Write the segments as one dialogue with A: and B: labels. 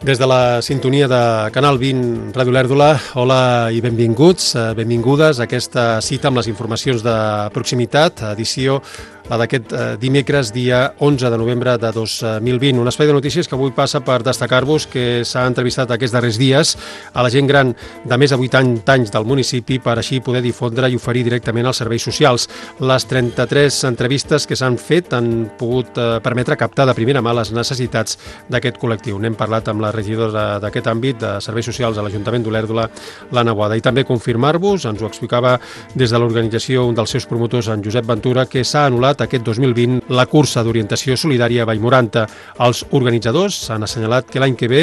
A: Des de la sintonia de Canal 20 Ràdio Olèrdola, hola i benvinguts, benvingudes a aquesta cita amb les informacions de proximitat, edició la d'aquest dimecres, dia 11 de novembre de 2020. Un espai de notícies que avui passa per destacar-vos que s'ha entrevistat aquests darrers dies a la gent gran de més de 80 anys del municipi per així poder difondre i oferir directament als serveis socials. Les 33 entrevistes que s'han fet han pogut permetre captar de primera mà les necessitats d'aquest col·lectiu. N'hem parlat amb la regidora d'aquest àmbit de serveis socials a l'Ajuntament d'Olèrdola, l'Anna Boada. I també confirmar-vos, ens ho explicava des de l'organització un dels seus promotors, en Josep Ventura, que s'ha anul·lat aquest 2020 la cursa d'orientació solidària a Vallmoranta. Els organitzadors han assenyalat que l'any que ve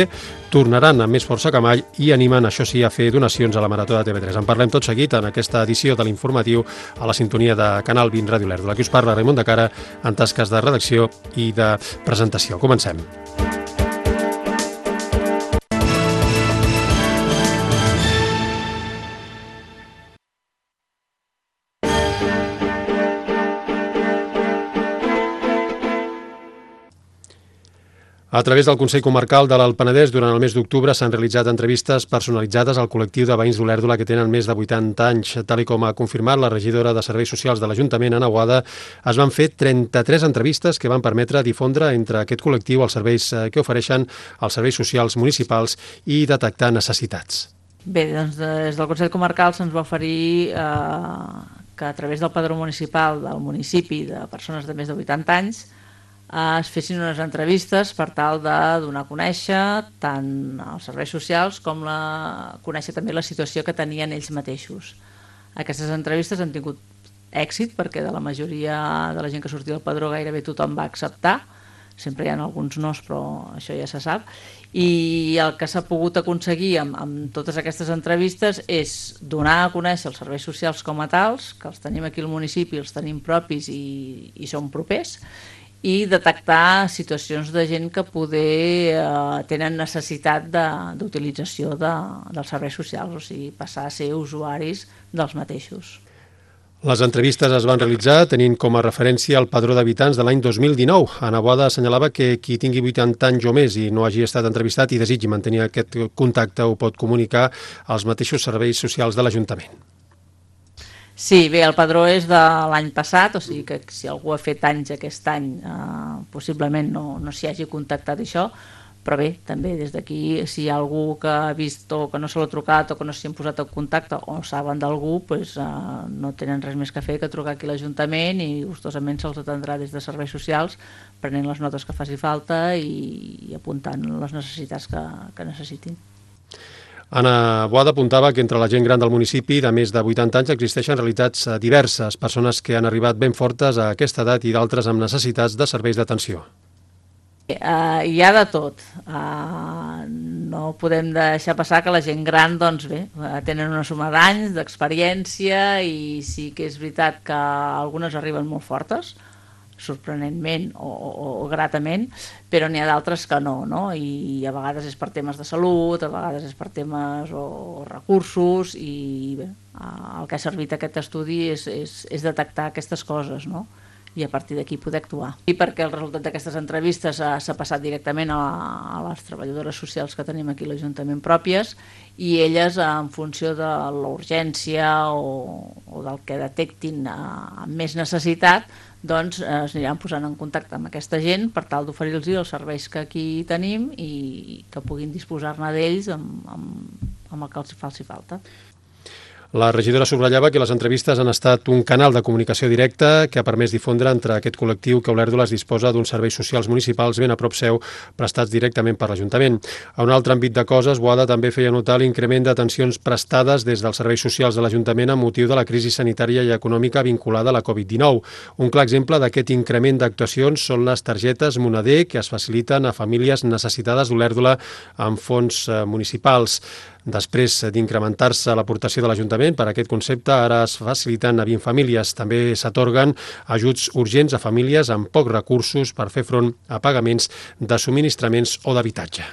A: tornaran amb més força que mai i animen, això sí, a fer donacions a la Marató de TV3. En parlem tot seguit en aquesta edició de l'informatiu a la sintonia de Canal 20 Ràdio Olèrdola. Aquí us parla Raimon de Cara en tasques de redacció i de presentació. Comencem. A través del Consell Comarcal de l'Alt Penedès, durant el mes d'octubre s'han realitzat entrevistes personalitzades al col·lectiu de veïns d'Olèrdola que tenen més de 80 anys. Tal com ha confirmat la regidora de Serveis Socials de l'Ajuntament, Anna Boada, es van fer 33 entrevistes que van permetre difondre entre aquest col·lectiu els serveis que ofereixen els serveis socials municipals i detectar necessitats.
B: Bé, doncs des del Consell Comarcal se'ns va oferir que a través del padró municipal del municipi de persones de més de 80 anys es fessin unes entrevistes per tal de donar a conèixer tant els serveis socials com conèixer també la situació que tenien ells mateixos. Aquestes entrevistes han tingut èxit perquè de la majoria de la gent que sortia del padró gairebé tothom va acceptar. Sempre hi ha alguns nos, però això ja se sap. I el que s'ha pogut aconseguir amb totes aquestes entrevistes és donar a conèixer els serveis socials com a tals, que els tenim aquí al municipi, els tenim propis i són propers, i detectar situacions de gent que poder tenen necessitat d'utilització dels serveis socials, o sigui, passar a ser usuaris dels mateixos.
A: Les entrevistes es van realitzar tenint com a referència el padró d'habitants de l'any 2019. Anna Boada assenyalava que qui tingui 80 anys o més i no hagi estat entrevistat i desitgi mantenir aquest contacte ho pot comunicar als mateixos serveis socials de l'Ajuntament.
B: Sí, bé, el padró és de l'any passat, o sigui que si algú ha fet anys aquest any possiblement no s'hi hagi contactat això, però bé, també des d'aquí si hi ha algú que ha vist o que no se l'ha trucat o que no s'hi han posat en contacte o saben d'algú, doncs, no tenen res més que fer que trucar aquí a l'Ajuntament i gustosament se'ls atendrà des de serveis socials prenent les notes que faci falta i apuntant les necessitats que necessitin.
A: Anna Boada apuntava que entre la gent gran del municipi de més de 80 anys existeixen realitats diverses, persones que han arribat ben fortes a aquesta edat i d'altres amb necessitats de serveis d'atenció.
B: Hi ha de tot. No podem deixar passar que la gent gran, doncs bé, tenen una suma d'anys, d'experiència i sí que és veritat que algunes arriben molt fortes, sorprenentment o gratament, però n'hi ha d'altres que no, i a vegades és per temes de salut, a vegades és per temes o recursos, i bé, el que ha servit aquest estudi és detectar aquestes coses, i a partir d'aquí poder actuar. I perquè el resultat d'aquestes entrevistes s'ha passat directament a les treballadores socials que tenim aquí a l'Ajuntament pròpies i elles, en funció de la urgència o del que detectin amb més necessitat, doncs es aniran posant en contacte amb aquesta gent per tal d'oferir-los els serveis que aquí tenim i que puguin disposar-ne d'ells amb el que els faci falta.
A: La regidora subratllava que les entrevistes han estat un canal de comunicació directa que ha permès difondre entre aquest col·lectiu que Olèrdola es disposa d'uns serveis socials municipals ben a prop seu, prestats directament per l'Ajuntament. A un altre àmbit de coses, Boada també feia notar l'increment d'atencions prestades des dels serveis socials de l'Ajuntament amb motiu de la crisi sanitària i econòmica vinculada a la Covid-19. Un clar exemple d'aquest increment d'actuacions són les targetes Moneder que es faciliten a famílies necessitades d'Olèrdola amb fons municipals. Després d'incrementar-se l'aportació de l'Ajuntament per a aquest concepte, ara es faciliten a 20 famílies. També s'atorguen ajuts urgents a famílies amb pocs recursos per fer front a pagaments de subministraments o d'habitatge.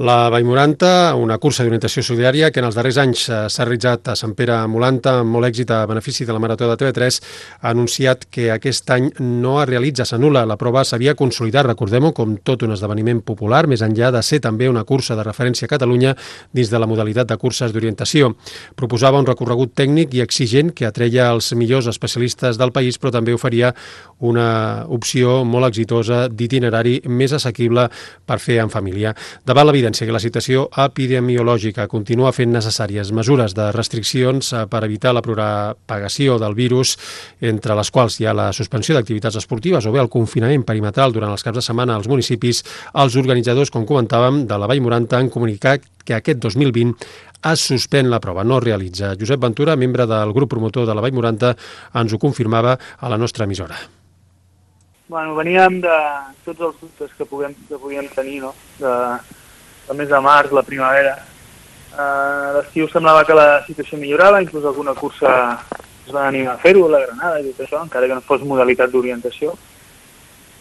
A: La Vallmoranta, una cursa d'orientació solidària que en els darrers anys s'ha realitzat a Sant Pere Molanta amb molt èxit a benefici de la Marató de TV3, ha anunciat que aquest any no es realitza, s'anul·la. La prova s'havia consolidat, recordem-ho, com tot un esdeveniment popular, més enllà de ser també una cursa de referència a Catalunya dins de la modalitat de curses d'orientació. Proposava un recorregut tècnic i exigent que atreia els millors especialistes del país, però també oferia una opció molt exitosa d'itinerari més assequible per fer en família. Davant l'evidència que la situació epidemiològica continua fent necessàries mesures de restriccions per evitar la propagació del virus, entre les quals hi ha la suspensió d'activitats esportives o bé el confinament perimetral durant els caps de setmana als municipis, els organitzadors, com comentàvem, de la Vallmoranta han comunicat que aquest 2020 es suspèn la prova, no es realitza. Josep Ventura, membre del grup promotor de la Vallmoranta, ens ho confirmava a la nostra emissora.
C: Bueno, veníem de tots els dubtes que podíem tenir, no? El mes de març, la primavera. A l'estiu semblava que la situació millorava, inclús alguna cursa es va animar a fer-ho, la Granada i tot això, encara que no fos modalitat d'orientació.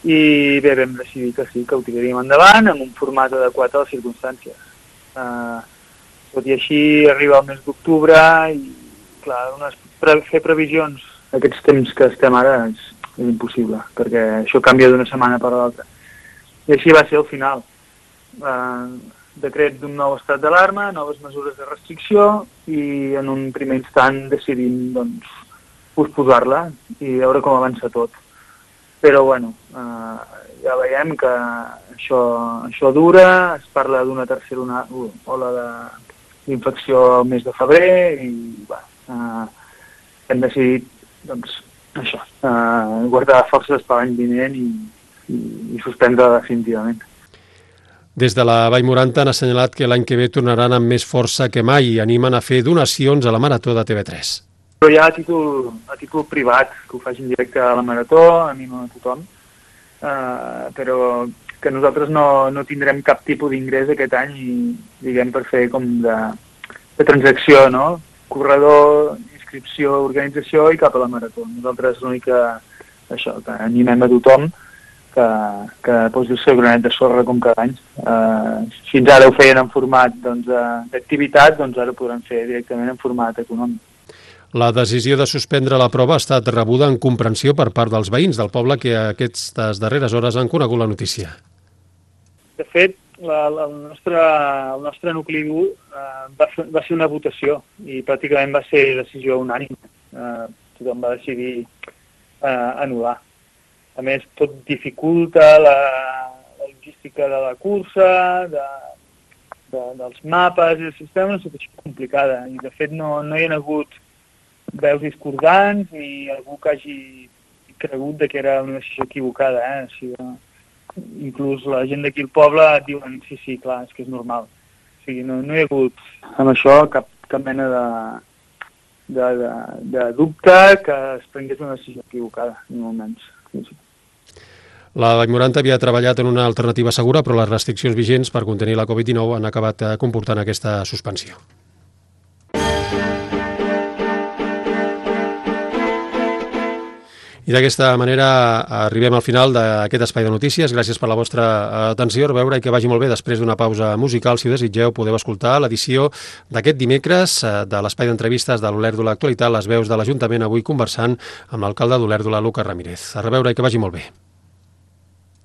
C: I bé, vam decidir que sí, que ho tiraríem endavant amb un format adequat a les circumstàncies. Tot i així arriba el mes d'octubre i, clar, fer previsions d'aquests temps que estem ara és impossible, perquè això canvia d'una setmana per l'altra. I així va ser el final. Decret d'un nou estat d'alarma, noves mesures de restricció i en un primer instant decidim posposar-la i veure com avança tot. Però bueno, ja veiem que això dura, es parla d'una tercera ola d'infecció al mes de febrer i hem decidit guardar forces per l'any vinent i suspendre definitivament.
A: Des de la Vallmoranta han assenyalat que l'any que ve tornaran amb més força que mai i animen a fer donacions a la Marató de TV3.
C: Però ja a títol privat, que ho facin directe a la Marató, animo a tothom, però que nosaltres no tindrem cap tipus d'ingrés aquest any diguem per fer com de transacció, no? Corredor, inscripció, organització i cap a la Marató. Nosaltres l'únic que animem a tothom que posi el seu granet de sorra com cada any. Fins ara ho feien en format d'activitat, ara ho podran fer directament en format econòmic.
A: La decisió de suspendre la prova ha estat rebuda en comprensió per part dels veïns del poble que aquestes darreres hores han conegut la notícia.
C: De fet, el nostre nucli dur va ser una votació i pràcticament va ser decisió unànime. Tothom va decidir anul·lar. A més, tot dificulta la logística de la cursa, dels mapes i el sistema, és una situació complicada. I, de fet, no hi ha hagut veus discordants ni algú que hagi cregut que era una decisió equivocada. Inclús la gent d'aquí al poble et diuen sí, clar, és que és normal. O sigui, no hi ha hagut amb això cap mena de dubte que es prengués una decisió equivocada, ni molt menys.
A: La Vallmoranta havia treballat en una alternativa segura, però les restriccions vigents per contenir la Covid-19 han acabat comportant aquesta suspensió. I d'aquesta manera arribem al final d'aquest espai de notícies. Gràcies per la vostra atenció. A veure, i que vagi molt bé. Després d'una pausa musical, si ho desitgeu, podeu escoltar l'edició d'aquest dimecres de l'espai d'entrevistes de l'Olèrdola Actualitat, les veus de l'Ajuntament, avui conversant amb l'alcalde d'Olèrdola, Lucas Ramírez. A reveure i que vagi molt bé.